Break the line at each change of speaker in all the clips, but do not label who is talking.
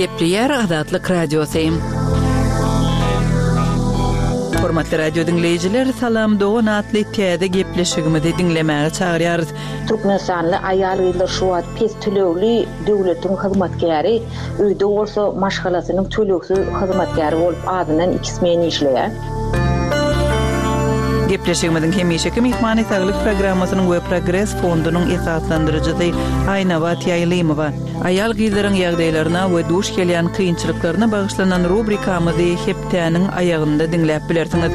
Gepleýär Azatlyk Radiosy. Hormatly radio diňleýjiler, Salam dogan atly täze gepleşigimizi diňlemäge çagyrýarys.
Türkmenistanly aýal-gyzlar şu wagt pes tölegli döwletiň hyzmatkäri, öýde bolsa maşgalasynyň tölegsiz hyzmatkäri bolup azyndan iki smen işleýär.
Gepleşigimiziň hemişeki myhmany Saglyk programmasynyň we Progres fondunyň esaslandyryjysy Aýnabat Ýaýlymowa. Aýal-gyzlaryň ýagdaýlaryna we duş gelýän kynçylyklaryna bagyşlanan rubrikamyzy hepdäniň aýagynda diňläp bilersiňiz.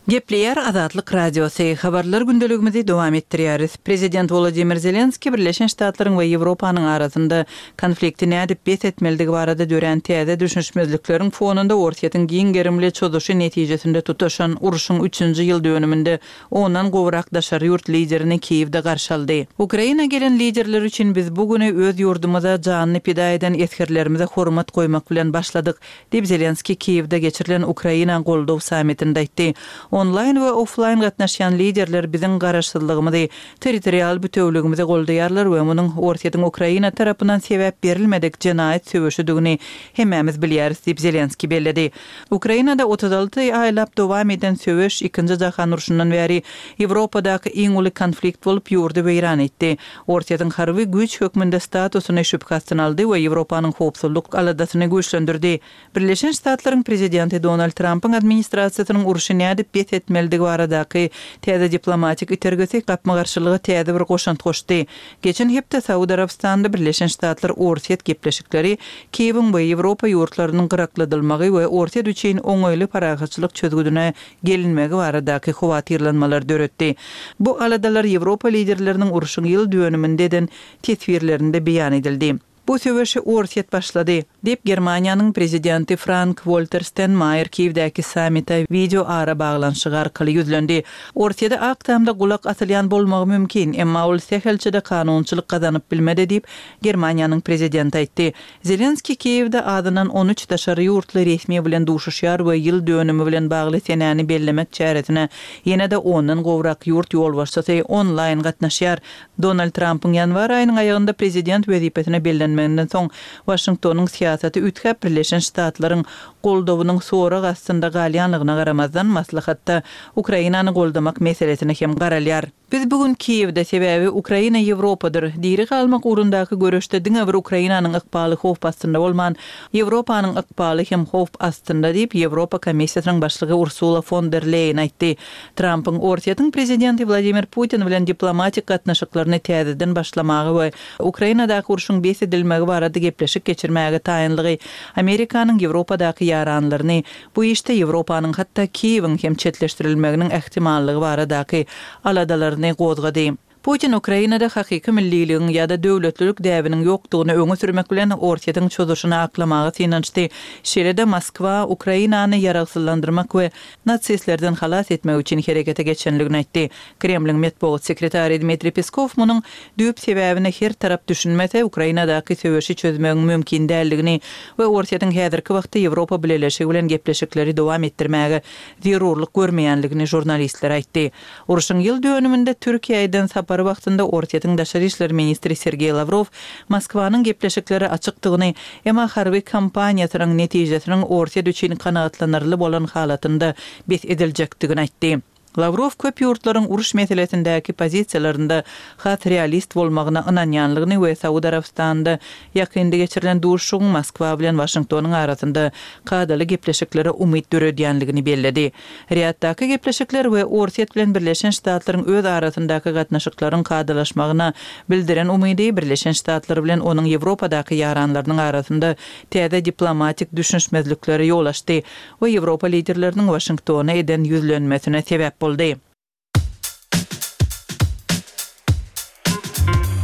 Gepleýär Azatlyk Radiosy, Habarlar gündeligimizi dowam etdirýäris. Prezident Wolodymyr Zelenskiý Birleşen Ştatlaryň we Ýewropanyň arasynda konflikti nädip bes etmelidigi barada dörän täze düşünişmezlikleriň fonunda Orsýetiň giň gerimli çozuşy netijesinde tutaşan urşuň üçünji ýyl dönüminde ondan gowrak daşary ýurt liderini Kiýewde garşy aldy. Ukraina gelen liderler üçin biz bu güni öz ýurdumyza janyny pida eden esgerlerimize hormat goýmak bilen başladyk, diýip, Zelenskiý Kiýewde geçirilen Ukraina goldaw sammitinde aýtdy. Onlaýn we oflaýn gatnaşýan liderler biziň garaşsyzlygymyzy, territorial bütewligimizi goldaýarlar we munuň Orsýetiň Ukraina tarapyndan sebäp berilmedik jenaýat söweşidigini hemmämiz bilýäris diýip, Zelenskiý belledi. Ukrainada 36 aýlap dowam eden söweş Ikinji jahan urşundan bäri Ýewropadaky iň uly konflikt bolup, ýurdy weýran etdi. Orsýetiň harby güýç hökmünde statusyny şübhe astyna aldy we Ýewropanyň howpsuzlyk aladasyny güýçlendirdi. Birleşen Ştatlaryň prezidenti Donald Trampyň administrasiýasynyň urşy nädip bes etmelidigi baradaky täze diplomatik itergisi gapma-garşylyga täze bir goşant goşdy. Geçen hepde Saud Arabystanyda Birleşen Ştatlar-Orsýet gepleşikleri Kiýewiň we Ýewropa ýurtlarynyň gyrakladylmagy we Orsýet üçin oňaýly parahatçylyk çözgüdine gelinmegi baradaky howatyrlanmalary döretdi. Bu aladalar Ýewropa liderleriniň urşuň ýyl dönüminde eden teswirlerinde beýan edildi. Bu söweşi Orsýet başlady, diýip, Germaniýanyň prezidenti Frank-Walter Stenmaýer Kiýewdäki sammite wideo arabaglanyşygy arkaly ýüzlendi. Orsýede Ak Tamda gulak asylýan bolmagy mümkin, emma ol sähelçe-de kanunçylyk gazanyp bilmedi diýip, Germaniýanyň prezidenti aýtdy. Zelenskiý Kiýewde azyndan 13 daşary ýurtly resmi bilen duşuşýar we ýyl dönümi bilen bagly senäni bellemek çäresine ýene-de ondan gowrak ýurt ýolbaşçysy onlaýn gatnaşýar. Donald Trampyň ýanwar aýynyň aýagynda prezident wezipesine bellenmeginden soň Waşingtonyň syýasaty üýtgäp Birleşen Ştatlaryň goldawynyň sorag astynda galýanlygyna garamazdan maslahatda Ukrainany goldamak meselesine hem garalýar. Biz bu gün Kiýewde, sebäbi Ukraina Ýewropadyr. Diri galmak ugrundaky göreşde diňe bir Ukrainanyň ykbaly howp astynda bolman, Ýewropanyň ykbaly hem howp astynda diýip, Ýewropa Komissiýasynyň başlygy Ursula fon der Leýen aýtdy. Trampyň Orsýetiň prezidenti Wladimir Putin bilen diplomatik gatnaşyklaryny täzeden başlamaga we Ukrainadaky urşuň bes edilmegi barada gepleşik geçirmäge taýynlygy Amerikanyň Ýewropadaky ýaranlaryny bu işde Ýewropanyň hatda Kiýewiň hem çetleşdirilmeginiň ähtimallygy baradaky aladalaryny gozgady. Putin Ukrainada hakyky milliligiň ýa-da döwletlilik däbiniň ýokdugyny öňe sürmek bilen Orsýetiň çozuşyny aklamaga synanyşdy. Şeýle-de Moskwa Ukrainany ýaragsyzlandyrmak we nasistlerden halas etmek üçin herekete geçenligini aýtdy. Kremliň metbugat sekretary Dmitriý Peskow munuň düýp sebäbine her tarap düşünmese, Ukrainadaky söweşi çözmegiň mümkin däldigini we Orsýetiň häzirki wagtda Ýewropa Bileleşigi bilen gepleşikleri dowam etdirmäge zerurlyk görmeýänligini žurnalistlere aýtdy. Urşuň ýyl dönüminde Türkiýä eden sapary wagtynda Orsýetiň daşary işler ministri Sergeý Lawrow Moskwanyň gepleşiklere açykdygyny, emma harby kampaniýasynyň netijesiniň Orsýet üçin kanagatlanarly bolan halatynda bes ediljekdigini aýtdy. Lawrow köp ýurtlaryň uruş meselesindäki pozisiýalarynda has realist bolmagyna ynanýanlygyny we Saud Arabystanynda ýakynda geçirilen duşuşygyň Moskwa bilen Waşingtonyň arasynda kadaly gepleşiklere umyt döredýänligini belledi. Riýaddaky gepleşikler we Orsýet bilen Birleşen Ştatlaryň öz arasyndaky gatnaşyklaryň kadalaşmagyna bildiren umydy Birleşen Ştatlar bilen onuň Ýewropadaky ýaranlarynyň arasynda täze diplomatik düşünişmezliklere ýol açdy we Ýewropa liderleriniň Waşingtona eden ýüzlenmesine sebäp boldy.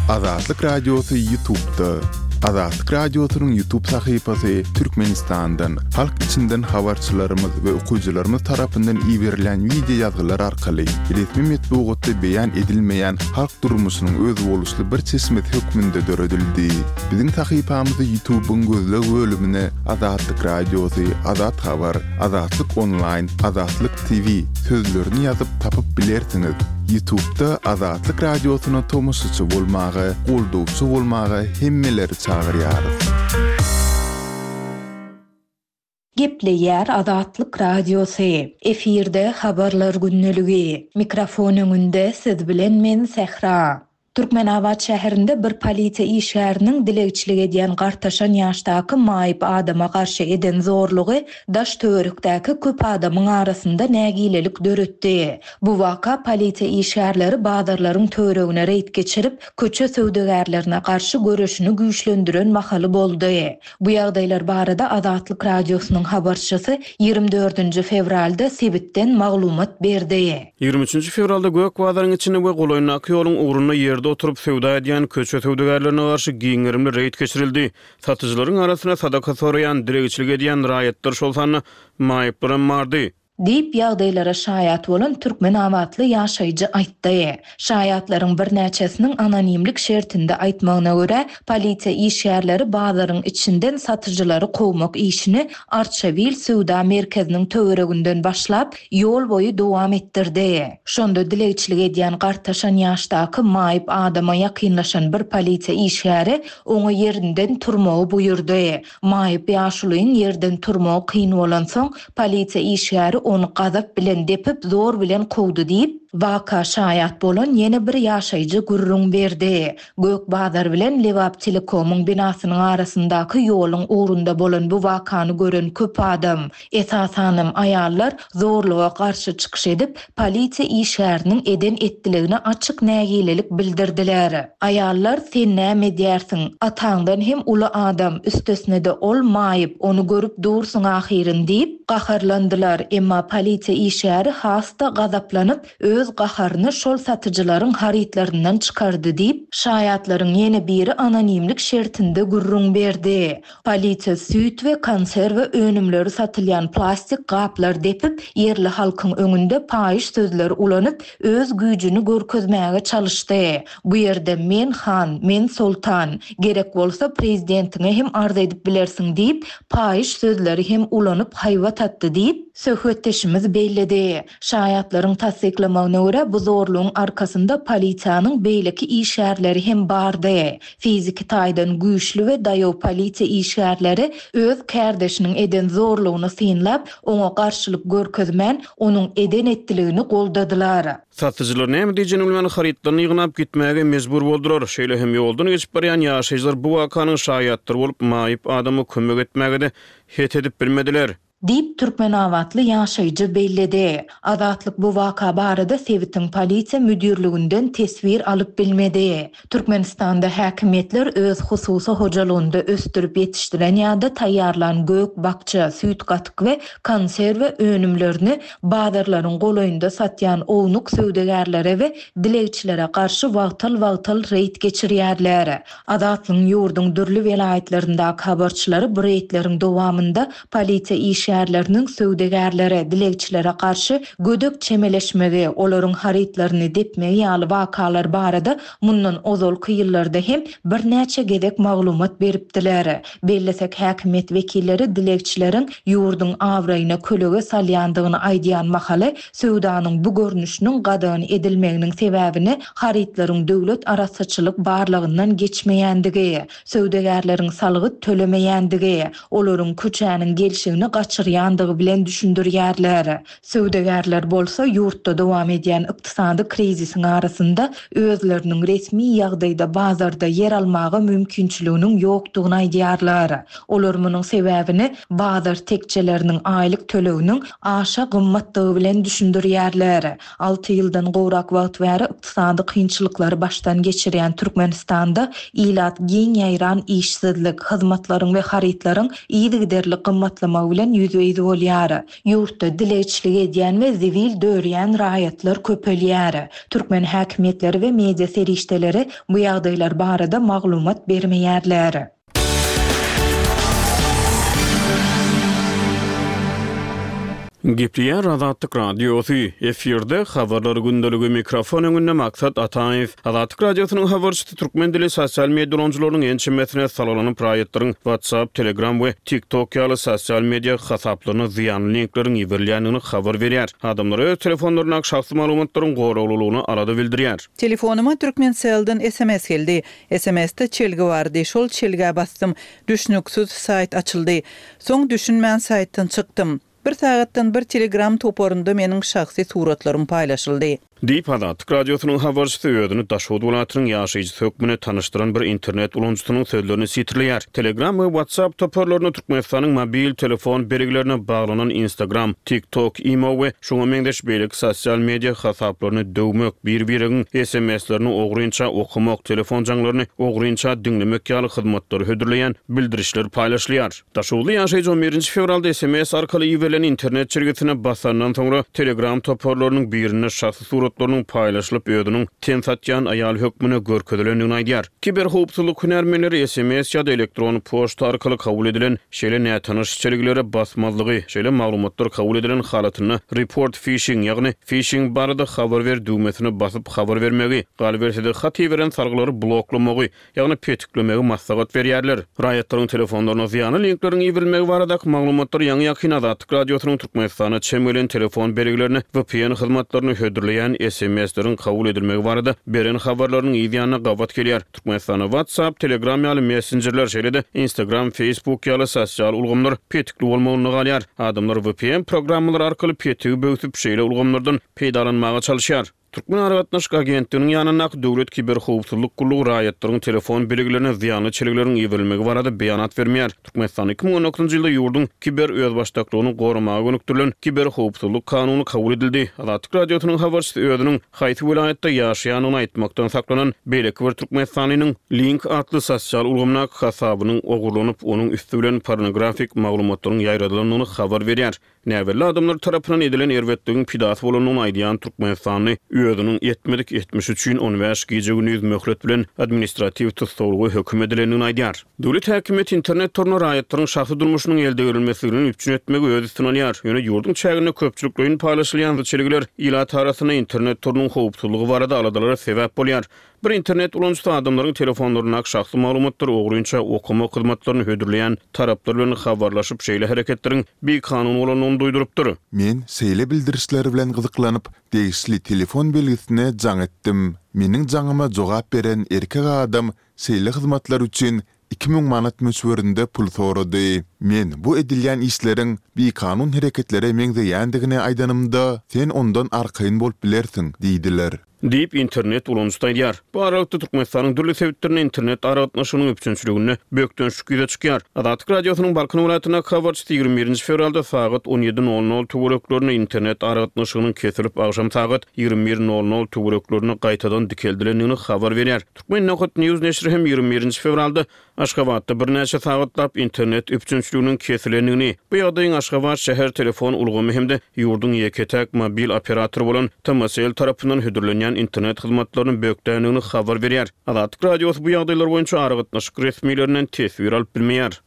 Azatlyk Radiosy Ýutubda. Azatlyk Radiosynyň Ýutub sahypasy Türkmenistandan, halk içinden habarçylarymyz we okyjylarymyz tarapyndan iberilýän wideo ýazgylar arkaly resmi metbugatda beýan edilmeýän halk durmuşynyň özboluşly bir çeşmesi hökmünde döredildi. Biziň sahypamyzy Ýutubyň gözleg bölümine Azatlyk Radiosy, Azat Habar, Azatlyk Onlaýn, Azatlyk TV sözlerini ýazyp tapyp bilersiňiz. Ýutubda Azatlyk Radiosyna tomaşaçy bolmaga, goldawçy bolmaga hemmeleri çagyrýarys.
Gepleýär Azatlyk Radiosy, efirde Habarlar gündeligi. Mikrofon öňünde siz bilen men Sähra. Türkmenabat şäherinde bir polisiýa işgäriniň dilegçilik edýän gartaşan ýaşdaky maýyp adama garşy eden zorlugy daş-töwerekdäki köp adamyň arasynda nägilelik döretdi. Bu waka polisiýa işgärleri bazarlaryň töweregine reýd geçirip, köçe söwdagärlerine garşy göreşini güýçlendiren mahaly boldy. Bu ýagdaýlar barada Azatlyk Radiosynyň habarçysy 24-nji fewralda sebitden maglumat berdi.
23-nji fewralda Gök bazaryň içinde we golaýyndaky ýoluň ugrunda ýerde oturyp söwda edýän köçe söwdagärlerine garşy giň gerimli reýd geçirildi. Satyjylaryň arasynda sadaka soraýan, dilegçilik edýän raýatlar, şol sanda maýyplaram bardy.
Diýip, ýagdaýlara şaýat bolan türkmenabatly ýaşaýjy aýtdy. Şaýatlaryň birnäçesiniň anonimlik şertinde aýtmagyna görä, polisiýa işgärleri bazaryň içinden satyjylary kowmak işini Arçabil söwda merkeziniň töwereginden başlap, ýol boýy dowam etdirdi. Şonda dilegçilik edýän gartaşan ýaşdaky maýyp adama ýakynlaşan bir polisiýa işgäri oňa ýerinden turmagy buýurdy. Maýyp ýaşulyň ýerden turmagy kyn bolansoň, polisiýa işgäri ony gazap bilen depip, zor bilen kowdy diýip, waka şaýat bolan ýene bir ýaşaýjy gürrüň berdi. Gök bazar bilen Lebaptelekomyň binasynyň arasyndaky ýoluň ugrunda bolan bu wakany gören köp adam, esasanam aýallar zorluga garşy çykyş edip, polisiýa işgäriniň eden-etdiligine açyk nägilelik bildirdiler. Aýallar, Sen näme edýärsiň? Ataňdan hem uly adam, üstesine-de ol maýyp, ony görüp dursuň ahyryn diýip, gaharlandylar. Emma polisiýa işgäri has-da gazaplanyp, öz gaharyny şol satyjylaryň harytlaryndan çykardy diýip, şaýatlaryň ýene biri anonimlik şertinde gürrüň berdi. Polisiýa süýt we konserwa önümleri satylýan plastik gaplar depip, ýerli halkyň öňünde paýyş sözler ulanyp, öz güýjüni görkezmäge çalyşdy. Bu ýerde men han, men soltan, gerek bolsa prezidentiňe hem arz edip bilersiň diýip, paýyş sözleri hem ulanyp haýbat atdy diýip, söhbetdeşimiz belledi. Şaýatlaryň tassyklamagyna görä, bu zorlugyň arkasynda polisiýanyň beýleki işgärleri hem bardy. Fiziki taýdan güýçli we daýaw polisiýa işgärleri öz kärdeşiniň eden zorlugyny synlap, oňa garşylyk görkezmän, onuň eden-etdiligini goldadylar.
Satyjylar näme diýjegini bilmän, harytlaryny ýygnap gitmäge mejbur boldular. Şeýle hem ýoldan geçip barýan ýaşaýjylar bu wakanyň şaýatlary bolup, maýyp adama kömek etmäge-de het edip bilmediler.
Diýip, türkmenabatly ýaşaýjy belledi. Azatlyk bu waka barada sebitiň polisiýa müdirliginden teswir alyp bilmedi. Türkmenistanda häkimiýetler öz hususy hojalygynda ösdürip ýetişdiren ýa-da taýýarlan gök-bakja, süýt-gatyk we konserwa önümlerini bazarlaryň golaýynda satýan ownuk söwdagärlere we dilegçilere garşy wagtal-wagtal reýd geçirýärler. Azatlygyň ýurduň dürli welaýatlaryndaky habarçylary bu reýdleriň dowamynda Polisiýa işgärleriniň söwdagärlere, dilegçilere garşy gödek çemeleşmegi, olaryň harytlaryny depmegi ýaly wakalar barada mundan ozalky ýyllarda hem birnäçe gezek maglumat beripdiler. Bellesek, häkimiýet wekilleri dilegçileriň ýurduň abraýyna kölege salýandygyny aýdýan mahaly, söwdanyň bu görnüşiniň gadagan edilmeginiň sebäbini harytlaryň döwlet arassaçylyk barlagyndan geçmeýändigi, söwdagärleriň salgyt tölemeýändigi, olaryň köçäniň gelşigini gaçyrýandygy bilen düşündirýärler. Söwdagärler bolsa ýurtda dowam edýän ykdysady krizisiň arasynda özleriniň resmi ýagdaýda bazarda ýer almaga mümkinçiliginiň ýokdugyny aýdýarlar. Olar munuň sebäbini bazar tekjeleriniň aýlyk töleginiň aşa gymmatdygy bilen düşündirýärler. Alty ýyldan gowrak wagt bäri ykdysady kynçylyklary başdan geçirýän Türkmenistanda ilat giň ýaýran işsizlik, hyzmatlaryň we harytlaryň yzygiderli gymmatlamagy bilen ýüzbe-ýüz bolýar. Ýurtda dilegçilik edýän we zibil dörýän raýatlar köpelýär. Türkmen häkimiýetleri we media serişdeleri bu ýagdaýlar barada maglumat bermeýärler.
Gepleýär Azatlyk Radiosy, efirde Habarlar gündeligi, mikrofon öňünde Maksat Ataýew. Azatlyk Radiosynyň habarçysy türkmen dili sosial media ulanyjylarynyň ençemesine salgylanyp, raýatlaryň WhatsApp, Telegram we TikTok ýaly sosial media hasaplaryna zyýanly linkleriň iberilýändigini habar berýär. Adamlar öz telefonlaryndaky şahsy maglumatlaryň goraglylygyna alada bildirýär.
Telefonyma Türkmencellden sms geldi. SMS-de çelgi bardy. Şol çelgä basdym. Düşnüksiz saýt açyldy. Soň düşünmän saýtdan çykdym. Bir sagatdan bir telegram toparynda meniň şahsy suratlarym paýlaşyldy.
Diýip, Azatlyk Radiosynyň habarçysy özüni Daşoguz welaýatynyň ýaşaýjysy hökmünde tanyşdyran bir internet ulanyjysynyň sözlerini sitirleýär. Telegram we WhatsApp toparlarynda Türkmenistanyň mobil telefon belgilerine baglanan Instagram, TikTok, Imo we şuňa meňzeş beýleki sosial media hasaplaryny döwmek, bir-biregiň SMS-lerini ogrynça okamak, telefon jaňlaryny ogrynça diňlemek ýaly hyzmatlary hödürleýän bildirişler paýlaşylýar. Daşoguzly ýaşaýjy on birinji fewralda sms arkaly iberilen internet çelgisine basandan soňra, Telegram toparlarynyň birinde şahsy suratlarynyň paýlaşylyp, özüniň ten satýan aýal hökmünde görkezilendigini aýdýar. Kiberhowpsuzlyk hünärmenleri sms ýa-da elektron poçta arkaly kabul edilen şeýle nätanyş çelgilere basmazlygy, şeýle maglumatlar kabul edilen halatynda Report Phishing, ýagny fişing barada habar ber düwmesine basyp habar bermegi, galyberse-de hat iberen salgylary bloklamagy, ýagny petiklemegi maslahat berýärler. Raýatlaryň telefonlaryna zyýanly linkleriň iberilmegi baradaky maglumatlar ýaňy-ýakyn Azatlyk Radiosynyň Türkmenistana çem gelen telefon belgilerine vpn hyzmatlaryny hödürleýän SMS-leriň kabul edilmegi barada beren habarlarynyň yz ýanyna gabat gelýär. Türkmenistanda WhatsApp, Telegram ýaly messenjerler, şeýle-de Instagram, Facebook ýaly sosial ulgamlar petikli bolmagynda galýar. Adamlar vpn programmalary arkaly petigi böwsüp, şeýle ulgamlardan peýdalanmaga çalyşýar. Türkmen aragatnaşyk agentliginiň ýanyndaky Döwlet kiberhowpsuzlyk gullugy raýatlaryň telefon belgilerine zyýanly çelgileriň iberilmegi barada beýanat bermeýär. Türkmenistanda 2019-njy ýylda ýurduň kiber özbaşdaklygyny goramaga gönükdirilen Kiberhowpsuzlyk kanuny kabul edildi. Azatlyk Radiosynyň habarçysy özüniň haýsy welaýatda ýaşaýandygyny aýtmakdan saklanan beýleki bir türkmenistanlynyň Link atly sosial ulgamdaky hasabynyň ogurlanyp, onuň üsti bilen pornografik maglumatlaryň ýaýradylandygyny habar berýär. Näbelli adamlar tarapyndan edilen erbetligiň pidasy bolandygyny aýdýan türkmenistanly özüniň etmedik etmişi üçin on bäş gije-gündiz möhlet bilen administratiw tussaglyga höküm edilendigini aýdýar. Döwlet häkimiýeti internet toruna raýatlaryň şahsy durmuşynyň eldegrilmesizligini üpjün etmegi öz üstüne alýar. Ýöne ýurduň çäginde köpçülikleýin paýlaşylýan çelgiler ilat arasynda internet torunyň howpsuzlygy barada aladalara sebäp bolýar. Bir internet ulanyjysy adamlaryň telefonlaryndaky şahsy maglumatlary ogrynça okamak hyzmatlaryny hödürleýän taraplar bilen habarlaşyp, şeýle hereketleriň bikanun bolandygyny duýdurypdyr.
Men şeýle bildirişler bilen gyzyklanyp, degişli telefon belgisine jaň etdim. Meniň jaňyma jogap beren erkek adam şeýle hyzmatlar üçin 2000 manat möçberinde pul sorady. Men bu edilýän işleriň bikanun hereketlere meňzeýändigini aýdanymda, sen ondan arkaýyn bolup bilersiň diýdiler.
Diýip, internet ulanyjysy aýdýar. Bu aralykda, Türkmenistanyň dürli sebitlerinde internet aragatnaşygynyň üpjünçiliginde bökdençlik ýüze çykýar. Azatlyk Radiosynyň Balkan welaýatyndaky habarçysy 21 nji fewralda sagat 17 nol nol töwereklerinde internet aragatnaşygynyň kesilip, agşam sagat 21 nol nol töwereklerinde gaýtadan dikeldilendigini habar berýär. Turkmen Nokat News neşiri hem 21 nji fewralda Aşgabatda birnäçe sagatlap internet üpjünçiliginiň kesilendigini, bu ýagdaýyň Aşgabat şäher telefon ulgamy hem-de ýurduň ýeke-täk mobil operatory bolan TMCell tarapyndan hödürlenýän internet hyzmatlaryny bökdändigini habar berýär. Azatlyk Radiosy bu ýagdaýlar boýunça aragatnaşyk resmilerinden teswir alyp bilmeýär.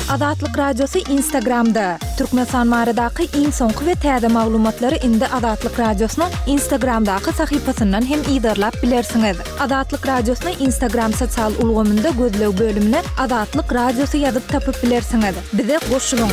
Azatlyk Radiosy Instagramda, Türkmenistan baradaky iň soňky we täze maglumatlary indi Azatlyk Radiosynyň Instagramdaky sahypasyndan hem yzarlap bilersiňiz. Azatlyk Radiosyny Instagram sosial ulgamynda gözleg bölümine Azatlyk Radiosy ýazyp tapyp bilersiňiz. Bize goşulyň!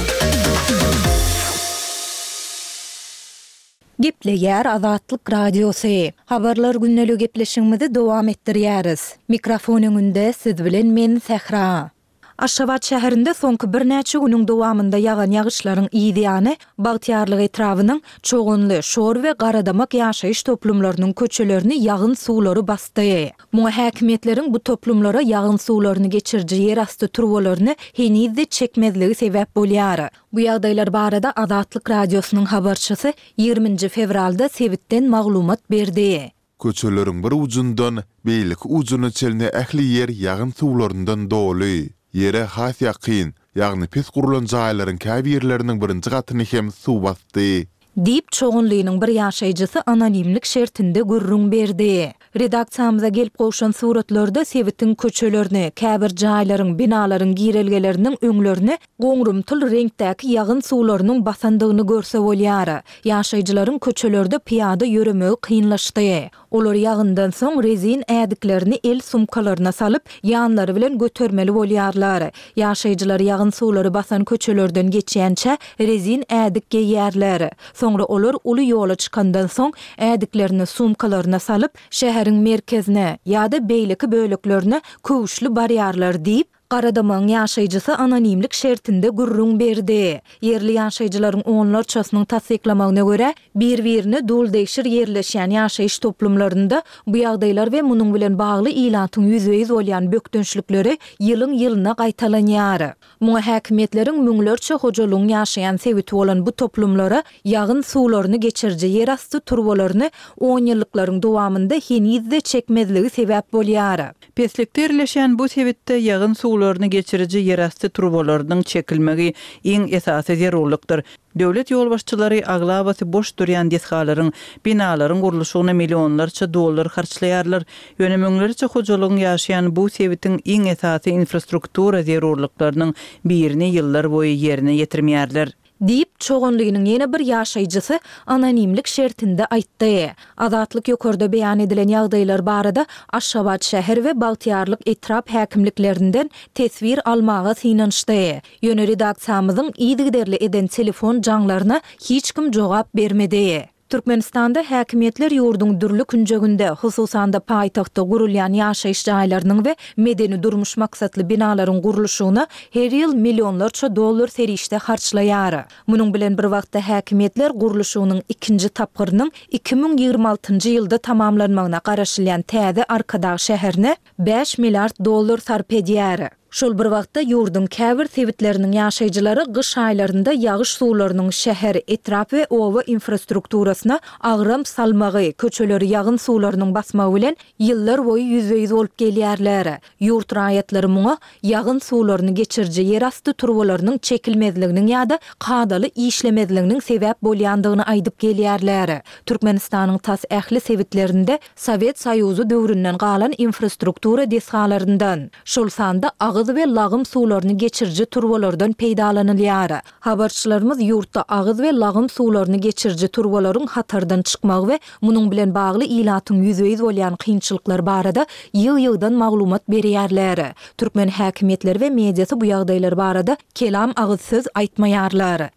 Gepleýär Azatlyk Radiosy. Habarlar gündeligi gepleşigimizi dowam etdirýäris. Mikrofon öňünde siz bilen men Sähra. Aşgabat şäherinde soňky birnäçe günüň dowamynda ýagan ýagyşlaryň yz ýany Bagtyýarlyk etrabynyň Çoganly, Şor we Garadamak ýaşaýyş toplumlarynyň köçelerini ýagyn suwlary basdy. Muňa häkimiýetleriň bu toplumlara ýagyn suwlaryny geçiriji ýerasty turbalaryny heniz-de çekmezligi sebäp bolýar. Bu ýagdaýlar barada Azatlyk Radiosynyň habarçysy 20 nji fewralda sebitden maglumat berdi.
Köçeleriň bir ujundan beýleki ujuna çenli ähli ýer ýagyn suwlaryndan doly. Ýere has ýakyn, ýagny pes gurlan jaýlaryň käbirleriniň birinji gatyny hem suw basdy.
Diýip, Çoganlynyň bir ýaşaýjysy anonimlik şertinde gürrüň berdi. Redaksiýamyza gelip gowşan suratlarda sebitiň köçelerini, käbir jaýlaryň, binalaryň girelgeleriniň öňlerini goňrumtyl reňkdäki ýagyn suwlarynyň basandygyny görse bolýar. Ýaşaýjylaryň köçelerde pyýada ýöremegi kynlaşdy. Olar ýagyndan soň rezin ädiklerini el sumkalaryna salyp, ýanlary bilen götermeli bolýarlar. Ýaşaýjylar ýagyn suwlary basan köçelerden geçýänçä rezin ädik geýýärler. Soňra olar uly ýola çykandan soň ädiklerini sumkalaryna salyp, şäheriň merkezine ýa-da beýleki böleklerine köwüşli barýarlar diýip, Garadamagyň ýaşaýjysy anonimlik şertinde gürrüň berdi. Ýerli ýaşaýjylaryň onlarçasynyň tassyklamagyna görä, bir-birine duldegşir ýerleşýän ýaşaýyş toplumlarynda bu ýagdaýlar we munuň bilen bagly ilatyň ýüzbe-ýüz bolýan bökdençlikleri ýylyň-ýylyna gaýtalanýar. Muňa häkimiýetleriň müňlerçe hojalygyň ýaşaýan sebiti bolan bu toplumlara ýagyn suwlaryny geçiriji ýerasty turbalaryny onýyllyklaryň dowamynda heniz-de çekmezligi sebäp bolýar.
Peslikde ýerleşýän bu sebitde ýagyn suwlaryny geçiriji ýerasty turbalarynyň çekilmegi iň esasy zerurlykdyr. Döwlet ýolbaşçylary aglabasy boş durýan desgalaryň, binalaryň gurluşygyna millionlarça dollar harçlaýarlar. Ýöne müňlerçe hojalygyň ýaşaýan bu sebitiň iň esasy infrastruktura zerurlyklarynyň birini ýyllar boýy ýerine ýetirmeýärler.
Diýip, Çoganlynyň ýene bir ýaşaýjysy anonimlik şertinde aýtdy. Azatlyk ýokarda beýan edilen ýagdaýlar barada Aşgabat şäher we Bagtyýarlyk etrap häkimliklerinden teswir almaga synanyşdy. Ýöne redaksiýamyzyň yzygiderli eden telefon jaňlaryna hiç kim jogap bermedi. Türkmenistanda häkimiýetler ýurduň dürli künjeginde, hususan-da paýtagtda gurulýan ýaşaýyş jaýlarynyň we medeni-durmuş maksatly binalaryň gurluşygyna her ýyl millionlarça dollar serişde harçlaýar. Munuň bilen bir wagtda häkimiýetler gurluşygynyň ikinji tapgyrynyň 2026-njy ýylda tamamlanmagyna garaşylýan täze Arkadag şäherine bäş milliard dollar sarp edýär. Şol bir wagtda, ýurduň käbir sebitleriniň ýaşaýjylary gyş aýlarynda ýagyş suwlarynyň şäher, etrap we oba infrastrukturasyna agram salmagy, köçeleri ýagyn suwlarynyň basmagy bilen ýyllar boýy ýüzbe-ýüz bolup gelýärler. Ýurt raýatlary muňa ýagyn suwlaryny geçiriji ýerasty turbalarynyň çekilmezliginiň ýa-da kadaly işlemezliginiň sebäp bolýandygyny aýdyp gelýärler. Türkmenistanyň tas ähli sebitlerinde Sowet Soýuzy döwründen galan infrastruktura desgalaryndan, şol sanda agyz we lagym suwlaryny geçiriji turbalardan peýdalanylýar. Habarçylarymyz ýurtda agyz we lagym suwlaryny geçiriji turbalaryň hatardan çykmagy we munuň bilen bagly ilatyň ýüzbe-ýüz bolýan kynçylyklary barada ýygy-ýygydan maglumat berýärler. Türkmen häkimiýetleri we mediasy bu ýagdaýlar barada kelam agyz söz aýtmaýarlar.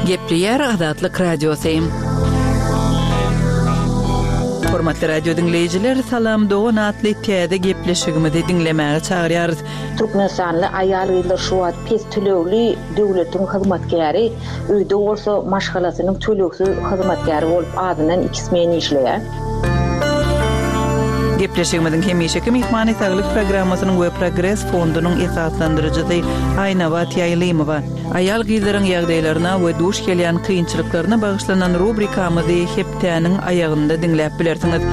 Gepleýär Azatlyk Radiosy. Hormatly radio diňleýjiler, Salam dogan atly täze gepleşigimizi diňlemäge çagyrýarys.
Türkmenistanly aýal-gyzlar şu wagt pes tölegli döwletiň hyzmatkäri, öýde bolsa maşgalasynyň tölegsiz hyzmatkäri bolup azyndan iki smen işleýär.
Gepleşigimiziň hemişeki myhmany Saglyk programmasynyň we Progres fondunyň esaslandyryjysy Aýnabat Ýaýlymowa. Aýal-gyzlaryň ýagdaýlaryna we duş gelýän kynçylyklaryna bagyşlanan rubrikamyzy hepdäniň aýagynda diňläp bilersiňiz.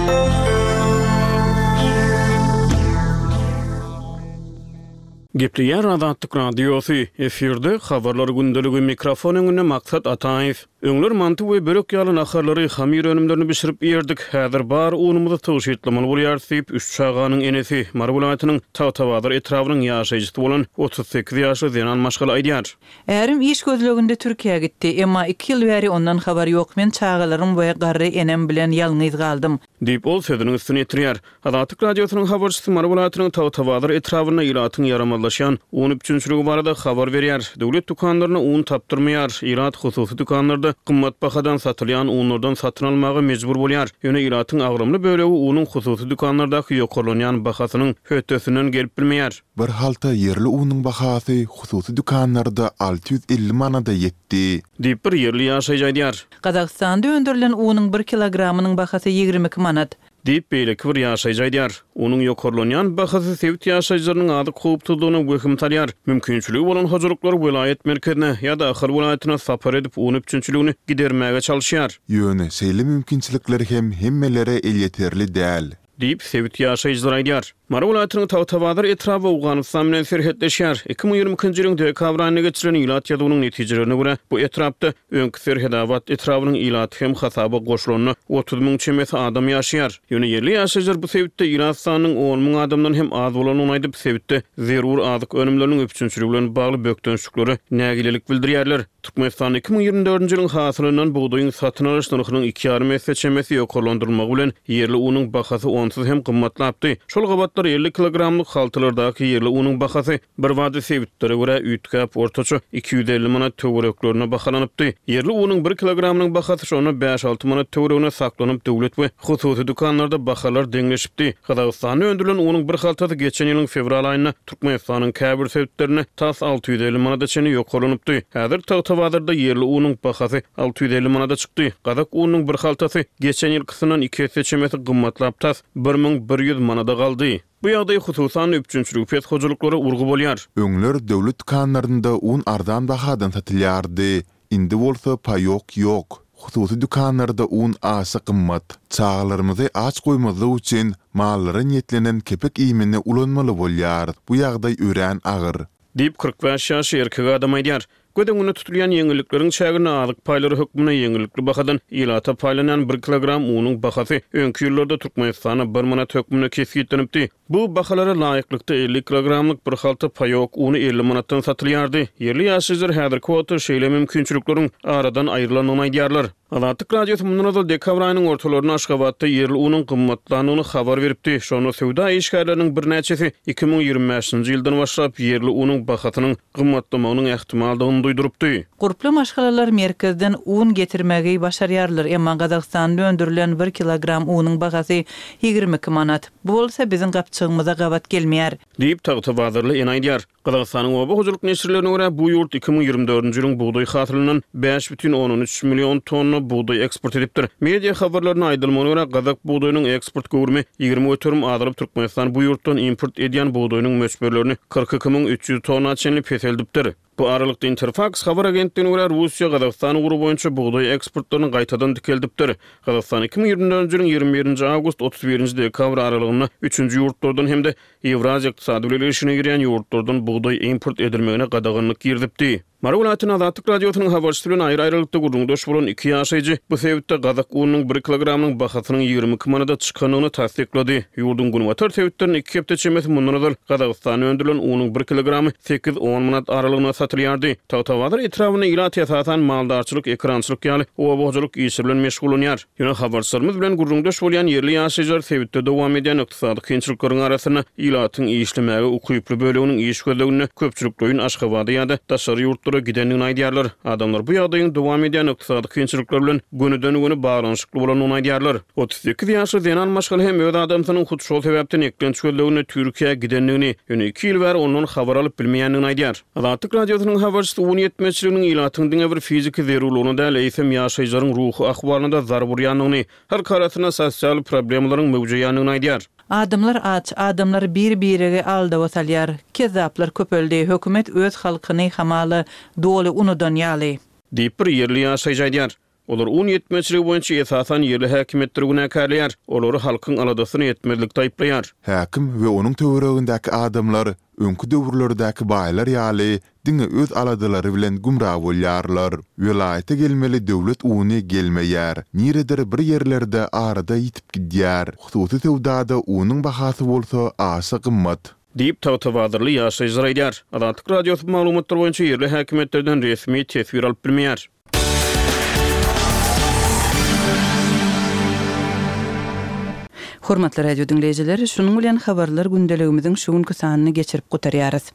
Gepleýär Azatlyk Radiosy, efirde Habarlar gündeligi, mikrofon öňünde Maksat Ataýew. Öňler manty we börek ýaly naharlary, hamyr önümlerini bişirip iýerdik. Häzir bar unumyzy tygşytlamaly bolýarys diýip, üç çaganyň enesi, Mary welaýatynyň Tagtabazar etrabynyň ýaşaýjysy bolan 38 ýaşly zenan maşgala aýdýar.
Ärim iş gözleginde Türkiýä gitdi. Emma iki ýyl bäri ondan habar ýok. Men çagalarym we garry enem bilen ýalňyz galdym.
Diýip, ol sözüniň üstüni ýetirýär. Azatlyk Radiosynyň habarçysy Mary welaýatynyň Tagtabazar etrabynda ilatyň ýaramazlaşýan un üpjünçiligi barada habar berýär. Döwlet dükanlarynda un tapdyrmaýar. Ilat hususy dükanlarda gymmat bahadan satylýan unlardan satyn almaga mejbur bolýar. Ýöne ilatyň agramly bölegi unuň hususy dükanlardaky ýokarlanýan bahasynyň hötdesinden gelip bilmeýär.
Bir halta ýerli unuň bahasy hususy dükanlarda 650 manada ýetdi.
Diýip, bir ýerli ýaşaýjy aýdýar.
Gazagystanda öndürilen unuň bir kilogramynyň bahasy 22 manat.
Diýip, beýleki bir ýaşaýjy aýdýar. Unuň ýokarlanýan bahasy sebit ýaşaýjylarynyň azyk howpsuzlygyna wehim salýar. Mümkinçiligi bolan hojalyklar welaýat merkezine ýa-da Ahal welaýatyna sapar edip, un üpjünçiligini gidermäge çalyşýar.
Ýöne şeýle mümkinçilikler hem hemmelere elýeterli däl.
Diýip, sebit ýaşaýjylary aýdýar. Mary welaýatynyň Tagtabazar etraby Owganystan bilen serhetleşýär. 2022-nji ýylyň dekabr aýynda geçirilen ilat ýazuwynyň netijelerine görä, bu etrapda öňki Serhedabat etrabynyň ilaty hem hasaba goşulanda 30 müň çemesi adam ýaşaýar. Ýöne ýerli ýaşaýjylar bu sebitde ilat sanynyň on müň adamdan hem az bolandygyny aýdyp, sebitde zerur azyk önümleriniň üpjünçiligi bilen bagly bökdençliklere nägilelik bildirýärler. Türkmenistanda 2024-nji ýylyň hasylyndan bugdaýyň satyn alyş nyrhynyň iki ýarym esse çemesi ýokarlandyrylmagy bilen, ýerli unuň bahasy onsuz hem gymmatlapdy. Şol gabatlar 50 kilogramlyk haltalardaky ýerli unuň bahasy birbada sebitlere görä üýtgäp, ortaça 250 manat töwereklerine bahalanypdy. Ýerli unuň bir kilogramynyň bahasy şonda bäş-alty manat töweregine saklanyp, döwlet we hususy dükanlarda bahalar deňleşipdi. Gazagystanda öndürilen unuň bir haltasy geçen ýylyň fewral aýynda Türkmenistanyň käbir sebitlerinde tas 650 manada çenli ýokarlanypdy. Häzir Tagtabazarda ýerli unuň bahasy 650 manada çykdy. Gazak ununyň bir haltasy geçen ýylkysyndan iki esse çemesi gymmatlap tas 1100 manada galdy. Bu ýagdaý hususan-da üpjünçiligi pes hojalyklara urgy bolýar.
Öňler döwlet dükanlarynda un arzan bahadan satylýardy. Indi bolsa paýok ýok. Hususy dükanlarda un aşa gymmat. Çagalarymyzy aç goýmazlyk üçin mallara niýetlenen kepek iýmini ulanmaly bolýarys. Bu ýagdaý örän agyr.
Diýip, 45 ýaşly erkek adam aýdýar. Göz öňünde tutulýan ýeňillikleriň çäginde azyk paýlary hökmünde ýeňillikli bahadan ilata paýlanýan bir kilogram unuň bahasy öňki ýyllarda Türkmenistanda bir manat hökmünde kesgitlenipdi. Bu bahalara laýyklykda 50 kilogramlyk bir halta paýok uny 50 manatdan satylýardy. Ýerli ýaşaýjylar häzirki wagtda şeýle mümkinçilikleriň aradan aýrylandygyny aýdýarlar. Azatlyk Radiosy mundan ozal dekabr aýynyň ortalarynda Aşgabatda ýerli unuň gymmatlandygyny habar beripdi. Şonda söwda işgärleriniň birnäçesi 2025-nji ýyldan başlap ýerli unuň bahasynyň gymmatlamagynyň ähtimaldygyny duýdurypdy.
Gurply maşgalalar merkezden un getirmegi başarýarlar, emma Gazagystanda öndürilen bir kilogram unuň bahasy 22 manat. Bu bolsa biziň gapjygymyza gabat gelmeýär.
Diýip, tagtabazarly ene aýdýar. Gazagystanyň oba hojalyk neşirlerine görä, bu ýurt 2024-nji ýylyň bugdaý hasylyndan 5,3 million tonna bugdaý eksport edipdir. Media habarlarynda aýdylmagyna görä, gazak bugdaýynyň eksport göwrümi 20% azalyp, Türkmenistan bu ýurtdan import edýän bugdaýynyň möçberlerini 42 300 tonna çenli peseldipdir. Bu aralykda, Interfaks habar agentligine görä, Russiýa Gazagystan ugry boýunça bugdaý eksportlaryny gaýtadan dikeldipdir. Gazagystan 2024-nji ýylyň 21-nji awgust, 31-nji dekabr aralygynda üçünji ýurtlardan hem-de Ýewraziýa ykdysady bileleşigine girýän ýurtlardan bugdaý import edilmegine gadaganlyk girizipdi. Mary welaýatynda Azatlyk Radiosynyň habarçysy bilen aýry-aýrylykda gürrüňdeş bolan iki ýaşaýjy bu sebitde gazak ununyň bir kilogramynyň bahasynyň 22 manada çykandygyny tassyklady. Ýurduň günbatar sebitlerinde iki hepde çemesi mundan ozal Gazagystanda öndürilen unuň bir kilogramy sekiz-on manat aralygynda satylýardy. Tagtabazar etrabynda ilat esasan maldarçylyk, ekerançylyk ýaly oba hojalyk işleri bilen meşgullanýar. Ýöne habarçylarymyz bilen gürrüňdeş bolýan ýerli ýaşaýjylar sebitde dowam edýän ykdysady kynçylyklaryň arasynda ilatyň işlemäge ukyply böleginiň iş gözleginde köpçülikleýin Aşgabada ýa-da daşary ýurtlara gidendigini aýdýarlar. Adamlar bu ýagdaýyň dowam edýän ykdysady kynçylyklar bilen gönüden-göni baglanyşykly bolandygyny aýdýarlar. 38 ýaşly zenan maşgala hem öz adamsynyň hut şol sebäpden eklenç gözleginde Türkiýä gidendigini, ýöne iki ýyl bäri ondan habar alyp bilmeýändigini aýdýar. Azatlyk Radiosynyň habarçysy un ýetmezçiliginiň ilatyň diňe bir fiziki zerurlygyna däl, eýsem ýaşaýjylaryň ruhy ahwalyna-da zarb urýandygyny, halk arasynda sosial problemalaryň möwjeýändigini aýdýar.
Adamlar aç, adamlar bir-biregi aldawa salýar. Kezzaplar köpeldi, hökümet öz halkyny hamala doly unudan ýaly.
Diýip, bir ýerli ýaşaýjy aýdýar. Olar un ýetmezçiligi boýunça esasan ýerli häkimiýetleri günäkärleýär, olary halkyň aladasyny etmezlikde aýyplaýar.
Häkim we onuň töweregindäki adamlar öňki döwürlerdäki baýlar ýaly diňe öz aladalary bilen gümra bolýarlar. Welaýata gelmeli döwlet uny gelmeýär. Niredir bir ýerlerde arada ýitip gidýär. Hususy söwdada unuň bahasy bolsa aşa gymmat.
Diýip, tagtabazarly ýaşaýjylar aýdýar. Azatlyk Radiosy bu maglumatlar boýunça ýerli häkimiýetlerden resmi teswir alyp bilmeýär.
Hormatly radio diňleýjiler, şunuň bilen habarlar gündeligimiziň şu günki sanyny geçirip gutarýarys.